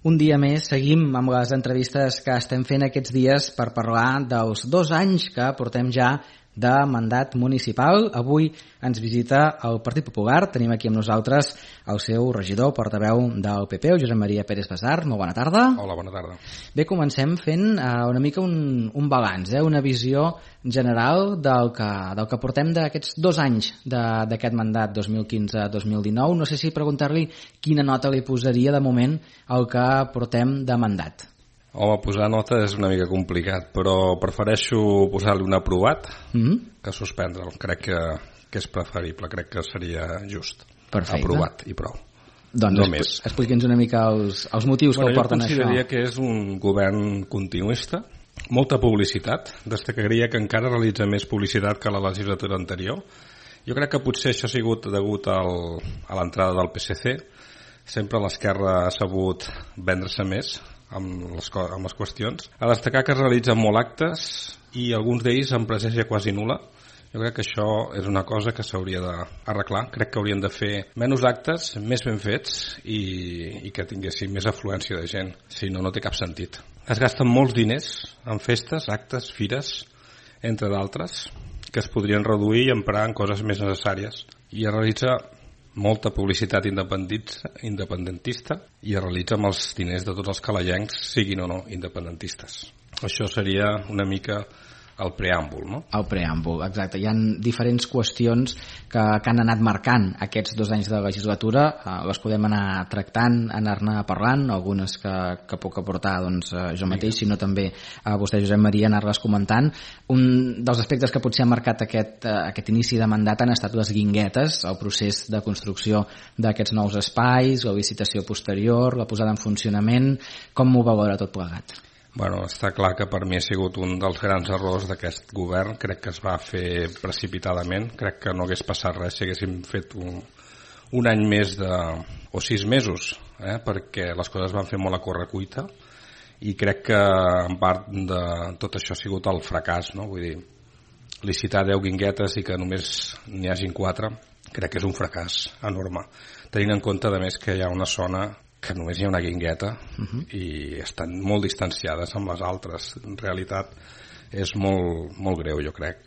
Un dia més seguim amb les entrevistes que estem fent aquests dies per parlar dels 2 anys que portem ja de mandat municipal. Avui ens visita el Partit Popular. Tenim aquí amb nosaltres el seu regidor, portaveu del PP, el Josep Maria Pérez Basart. Molt bona tarda. Hola, bona tarda. Bé, comencem fent una mica un balanç, una visió general del que portem d'aquests 2 anys d'aquest mandat 2015-2019. No sé si preguntar-li quina nota li posaria de moment al que portem de mandat. Home, posar nota és una mica complicat, però prefereixo posar-li un aprovat que suspendre'l. Crec que és preferible, crec que seria just. Perfecte. Aprovat i prou. Doncs no més. Expliqui'ns una mica els motius que el porten a això. Jo consideraria que és un govern continuista, molta publicitat, destacaria que encara realitza més publicitat que la legislatura anterior. Jo crec que potser això ha sigut degut a l'entrada del PSC. Sempre l'esquerra ha sabut vendre-se més amb les qüestions. A destacar que es realitzen molt actes i alguns d'ells amb presència quasi nul·la. Jo crec que això és una cosa que s'hauria d'arreglar. Crec que haurien de fer menys actes, més ben fets i que tinguessin més afluència de gent. Si no, no té cap sentit. Es gasten molts diners en festes, actes, fires, entre d'altres, que es podrien reduir i emprar en coses més necessàries. I es realitza molta publicitat independentista i es realitza amb els diners de tots els calalencs, siguin o no independentistes. Això seria una mica el preàmbul, no? El preàmbul, exacte. Hi ha diferents qüestions que han anat marcant aquests 2 anys de legislatura. Les podem anar tractant, anar-ne parlant, algunes que puc aportar jo mateix, sinó també a vostè, Josep Maria, anar-les comentant. Un dels aspectes que potser ha marcat aquest inici de mandat han estat les guinguetes, el procés de construcció d'aquests nous espais, la licitació posterior, la posada en funcionament. Com ho valora tot plegat? Bueno, està clar que per mi ha sigut un dels grans errors d'aquest govern. Crec que es va fer precipitadament. Crec que no hagués passat res si haguéssim fet un any més o 6 mesos, perquè les coses van fer molt a correcuita i crec que en part de tot això ha sigut el fracàs, no? Vull dir, licitar 10 guinguetes i que només n'hi hagin 4 crec que és un fracàs enorme, tenint en compte a més que hi ha una zona que només hi ha una guingueta i estan molt distanciades amb les altres. En realitat és molt, molt greu, jo crec.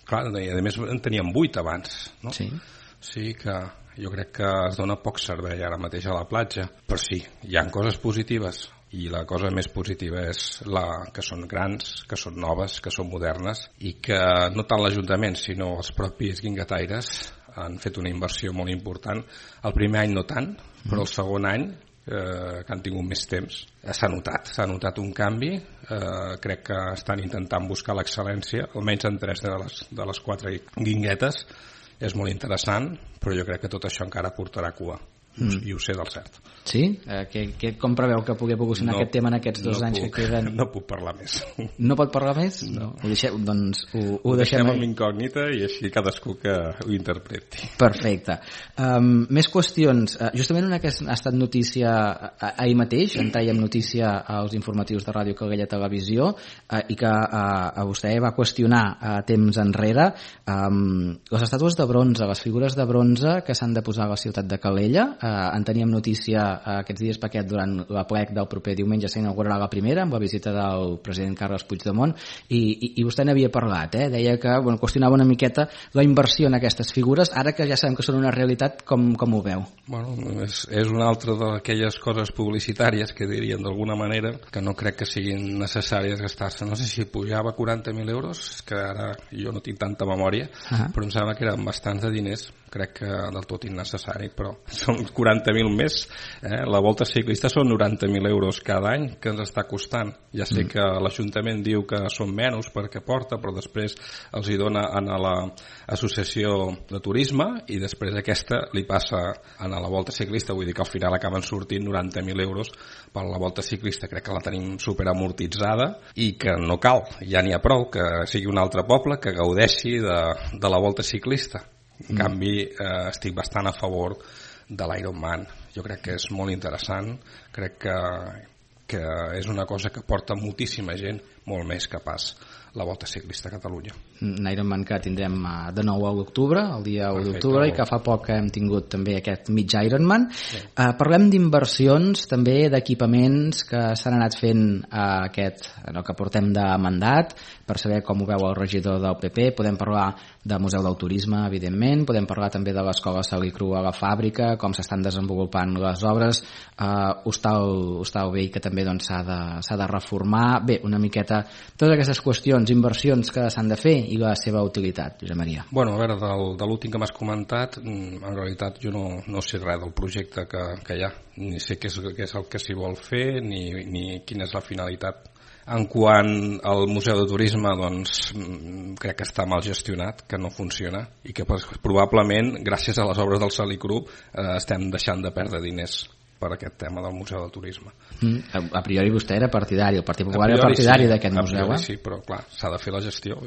Clar, i a més en teníem 8 abans, no? Sí. Sí que jo crec que es dona poc servei ara mateix a la platja, però sí, hi ha coses positives i la cosa més positiva és que són grans, que són noves, que són modernes i que no tant l'Ajuntament sinó els propis guinguetaires han fet una inversió molt important. El primer any no tant, però el segon any que han tingut més temps s'ha notat un canvi. Crec que estan intentant buscar l'excel·lència, almenys en 3 de les 4 guinguetes. És molt interessant, però jo crec que tot això encara portarà cua i ho sé del cert. Sí? Com preveu que pugui evolucionar aquest tema en aquests 2 anys que queden? No puc parlar més. No pot parlar més? No. Ho deixem amb incògnita i així cadascú que ho interpreti. Perfecte. Més qüestions. Justament una que ha estat notícia ahir mateix, en traiem notícia als informatius de Ràdio Calella Televisió i que a vostè va qüestionar temps enrere les estàtues de bronze, les figures de bronze que s'han de posar a la ciutat de Calella. En teníem notícia aquests dies perquè durant la plec del proper diumenge s'inaugurarà la primera amb la visita del president Carles Puigdemont i vostè n'havia parlat, deia que qüestionava una miqueta la inversió en aquestes figures, ara que ja sabem que són una realitat, com ho veu? Bueno, és una altra d'aquelles coses publicitàries que dirien d'alguna manera que no crec que siguin necessàries gastar-se. No sé si pujava 40.000 euros, que ara jo no tinc tanta memòria, però em sembla que eren bastants de diners. Crec que del tot innecessari, però són 40.000 més. La volta ciclista són 90.000 euros cada any que ens està costant. Ja sé que l'Ajuntament diu que són menys perquè porta, però després els hi dona a l'associació de turisme i després aquesta li passa a la volta ciclista. Vull dir que al final acaben sortint 90.000 euros per la volta ciclista. Crec que la tenim superamortitzada i que no cal, ja n'hi ha prou que sigui un altre poble que gaudeixi de la volta ciclista. En canvi, estic bastant a favor de l'Ironman. Jo crec que és molt interessant, crec que que és una cosa que porta moltíssima gent, molt més que pas la Volta Ciclista a Catalunya. Un Ironman que tindrem de nou a l'octubre, el dia 1 d'octubre, i que fa poc hem tingut també aquest mig Ironman. Sí. Parlem d'inversions, també d'equipaments que s'han anat fent el que portem de mandat, per saber com ho veu el regidor del PP. Podem parlar del Museu del Turisme, evidentment, podem parlar també de l'Escola Salicru a la fàbrica, com s'estan desenvolupant les obres, Hostal Vell, que també s'ha de reformar. Bé, una miqueta totes aquestes qüestions, inversions que s'han de fer i la seva utilitat, Josep Maria. Bueno, a veure, de l'últim que m'has comentat, en realitat jo no sé res del projecte que hi ha, ni sé què és el que s'hi vol fer, ni quina és la finalitat. En quant al Museu de Turisme, doncs crec que està mal gestionat, que no funciona, i que probablement, gràcies a les obres del Salicru, estem deixant de perdre diners per aquest tema del Museu del Turisme. A priori vostè era partidari, el Partit Popular era partidari d'aquest museu. A priori sí, però clar, s'ha de fer la gestió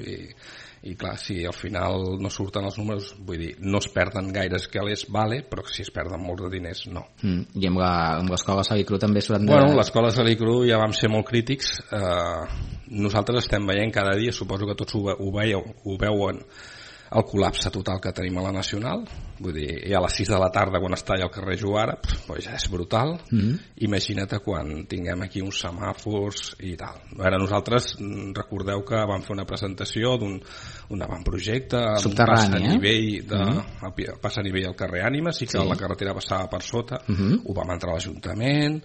i clar, si al final no surten els números, vull dir, no es perden gaires calés, vale, però si es perden molts de diners, no. I amb l'Escola Salicru també s'ho han de... Bueno, l'Escola Salicru ja vam ser molt crítics. Nosaltres estem veient cada dia, suposo que tots ho veuen, el col·lapse total que tenim a la Nacional. Vull dir, ja a les 6 de la tarda quan està allà al carrer Juara, pues ja és brutal. Imagina't quan tinguem aquí uns semàfors i tal. Ara nosaltres, recordeu que vam fer una presentació d'un avantprojecte amb pas a nivell al carrer Ànimes i que la carretera passava per sota. Ho vam entrar a l'Ajuntament,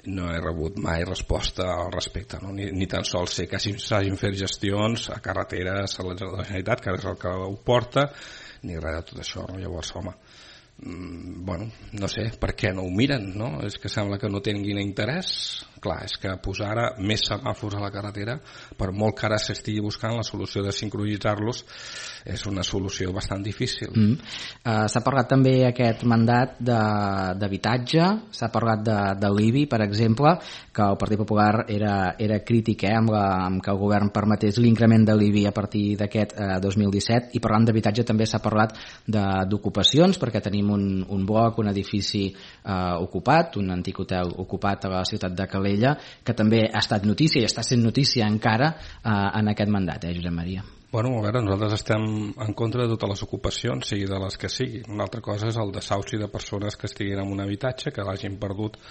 no he rebut mai resposta al respecte, no? Ni tan sols sé que s'hagin fet gestions a carreteres a la Generalitat, que és el que ho porta, ni res de tot això, no? Llavors, home, bueno, no sé per què no ho miren, no? És que sembla que no tinguin interès. Clar, és que posar ara més semàfors a la carretera, per molt que ara s'estigui buscant la solució de sincronitzar-los, és una solució bastant difícil. S'ha parlat també aquest mandat d'habitatge, s'ha parlat de l'IBI, per exemple, que el Partit Popular era crític amb que el govern permetés l'increment de l'IBI a partir d'aquest 2017, i parlant d'habitatge també s'ha parlat d'ocupacions, perquè tenim un bloc, un edifici ocupat, un antic hotel ocupat a la ciutat de Calella, que també ha estat notícia i està sent notícia encara en aquest mandat, Josep Maria. Bueno, a veure, nosaltres estem en contra de totes les ocupacions, sigui de les que sigui. Una altra cosa és el desauci de persones que estiguin en un habitatge, que l'hagin perdut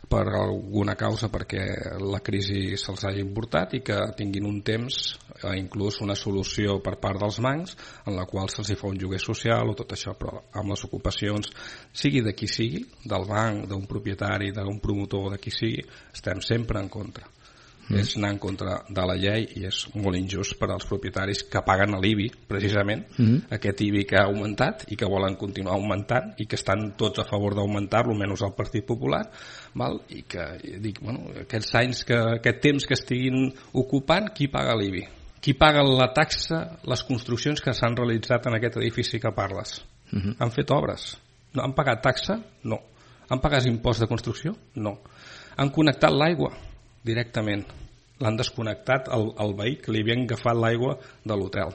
per alguna causa perquè la crisi se'ls hagi importat i que tinguin un temps, inclús una solució per part dels bancs en la qual se'ls fa un lloguer social o tot això, però amb les ocupacions, sigui de qui sigui, del banc, d'un propietari, d'un promotor, de qui sigui, estem sempre en contra. És anar en contra de la llei i és molt injust per als propietaris que paguen l'IBI, precisament, aquest IBI que ha augmentat i que volen continuar augmentant i que estan tots a favor d'augmentar-lo, menys el Partit Popular, val? I que dic, bueno, aquest temps que estiguin ocupant, qui paga l'IBI? Qui paga la taxa, les construccions que s'han realitzat en aquest edifici que parles? Han fet obres? No. Han pagat taxa? No. Han pagat impost de construcció? No. Han connectat l'aigua? Directament. L'han desconnectat al veí que li havien agafat l'aigua de l'hotel.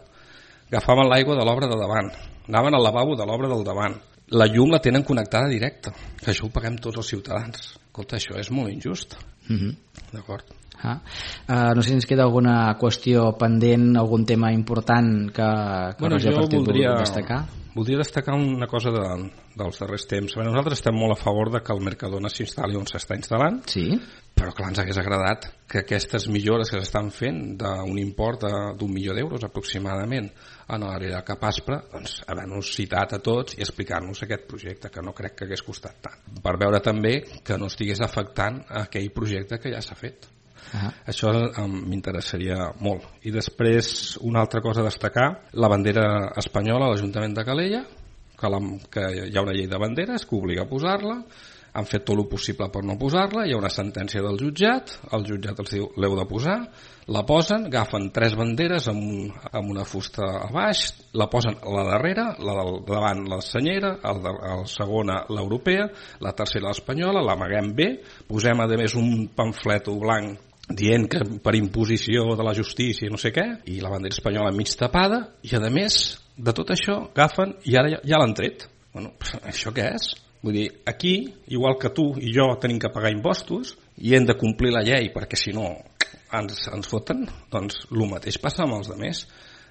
Agafaven l'aigua de l'obra de davant, anaven al lavabo de l'obra del davant. La llum la tenen connectada directa, que això ho paguem tots els ciutadans. Escolta, això és molt injust. D'acord. No sé si ens queda alguna qüestió pendent, algun tema important que jo voldria destacar. Voldria destacar una cosa dels darrers temps. Nosaltres estem molt a favor de que el Mercadona s'instal·li on s'està instal·lant, però clar, ens hagués agradat que aquestes millores que s'estan fent d'un import d'1 milió d'euros aproximadament en l'àrea de Capaspre, doncs haver-nos citat a tots i explicar-nos aquest projecte, que no crec que hagués costat tant, per veure també que no estigués afectant aquell projecte que ja s'ha fet. Això m'interessaria molt. I després, una altra cosa a destacar, la bandera espanyola a l'Ajuntament de Calella, que hi ha una llei de banderes que obliga a posar-la, han fet tot el possible per no posar-la, hi ha una sentència del jutjat, el jutjat els diu l'heu de posar, la posen, agafen 3 banderes amb una fusta a baix, la posen a la darrera, la del davant la senyera, la segona l'europea, la tercera l'espanyola, l'amaguem bé, posem a més un pamflet blanc dient que per imposició de la justícia i no sé què, i la bandera espanyola mig tapada, i a més de tot això agafen i ara ja l'han tret. Bueno, això què és? Vull dir, aquí, igual que tu i jo tenim que pagar impostos, i hem de complir la llei perquè si no ens foten, doncs el mateix passa amb els altres.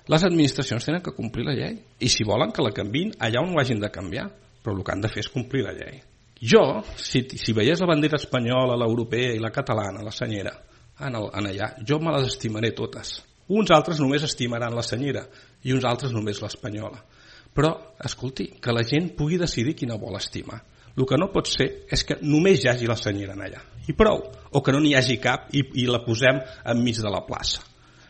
Les administracions tenen que complir la llei i si volen que la canviïn allà on ho hagin de canviar, però el que han de fer és complir la llei. Jo, si veiés la bandera espanyola, l'europea i la catalana, la senyera, en allà, jo me les estimaré totes. Uns altres només estimaran la senyera i uns altres només l'espanyola. Però, escolti, que la gent pugui decidir quina vol estimar. El que no pot ser és que només hi hagi la senyera en allà. I prou. O que no n'hi hagi cap i la posem enmig de la plaça.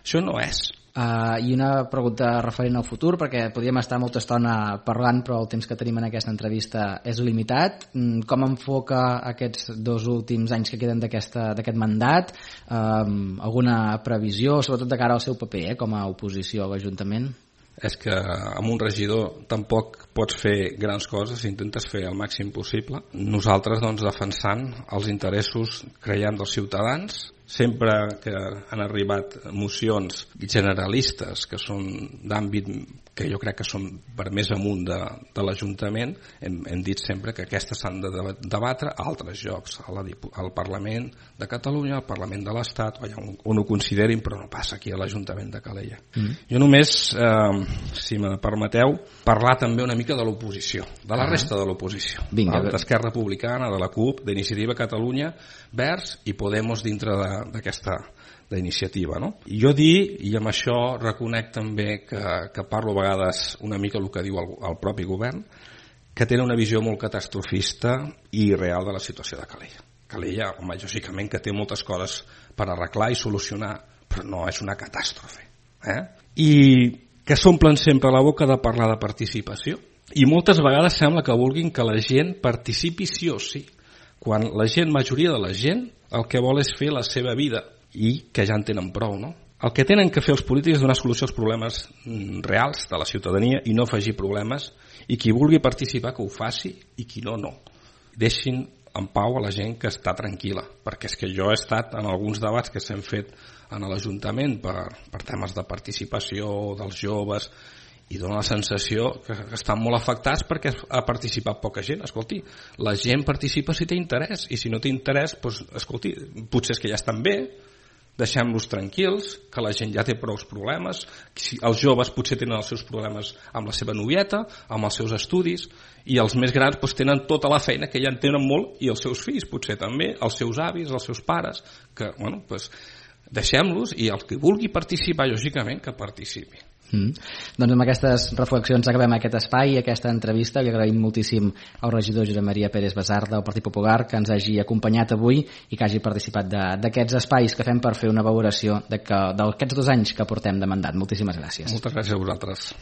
Això no és. I una pregunta referent al futur, perquè podríem estar molta estona parlant, però el temps que tenim en aquesta entrevista és limitat. Com enfoca aquests 2 últims anys que queden d'aquest mandat? Alguna previsió, sobretot de cara al seu paper com a oposició a l'Ajuntament? És que amb un regidor tampoc pots fer grans coses, intentes fer el màxim possible. Nosaltres, doncs, defensant els interessos, creiem, dels ciutadans. Sempre que han arribat mocions generalistes que són d'àmbit que jo crec que són per més amunt de l'Ajuntament, hem dit sempre que aquestes s'han de debatre a altres llocs, al Parlament de Catalunya, al Parlament de l'Estat, on ho considerin, però no passa aquí a l'Ajuntament de Calella. Jo només, si me permeteu, parlar també una mica de l'oposició, de la resta de l'oposició, d'Esquerra Republicana, de la CUP, d'Iniciativa Catalunya, Verds i Podemos dintre d'iniciativa, no? I jo i amb això reconec també que parlo a vegades una mica el que diu el propi govern, que tenen una visió molt catastrofista i real de la situació de Calella. Calella, home, lògicament que té moltes coses per arreglar i solucionar, però no és una catàstrofe. I que s'omplen sempre la boca de parlar de participació i moltes vegades sembla que vulguin que la gent participi sí o sí, quan la majoria de la gent el que vol és fer la seva vida i que ja en tenen prou, no? El que tenen que fer els polítics és donar solució als problemes reals de la ciutadania i no afegir problemes, i qui vulgui participar que ho faci i qui no. Deixin en pau a la gent que està tranquil·la, perquè és que jo he estat en alguns debats que s'han fet en l'Ajuntament per temes de participació dels joves i dona la sensació que estan molt afectats perquè ha participat poca gent. Escolti, la gent participa si té interès, i si no té interès, doncs, escolti, potser és que ja estan bé, deixem-los tranquils, que la gent ja té prou problemes, els joves potser tenen els seus problemes amb la seva novieta, amb els seus estudis, i els més grans doncs, tenen tota la feina que ja en tenen molt, i els seus fills potser també, els seus avis, els seus pares, que, bueno, doncs, deixem-los, i el que vulgui participar, lògicament, que participi. Doncs amb aquestes reflexions acabem aquest espai i aquesta entrevista. Li agraïm moltíssim al regidor Josep Maria Pérez Basart del Partit Popular que ens hagi acompanyat avui i que hagi participat d'aquests espais que fem per fer una valoració d'aquests 2 anys que portem de mandat. Moltíssimes gràcies. Moltes gràcies a vosaltres.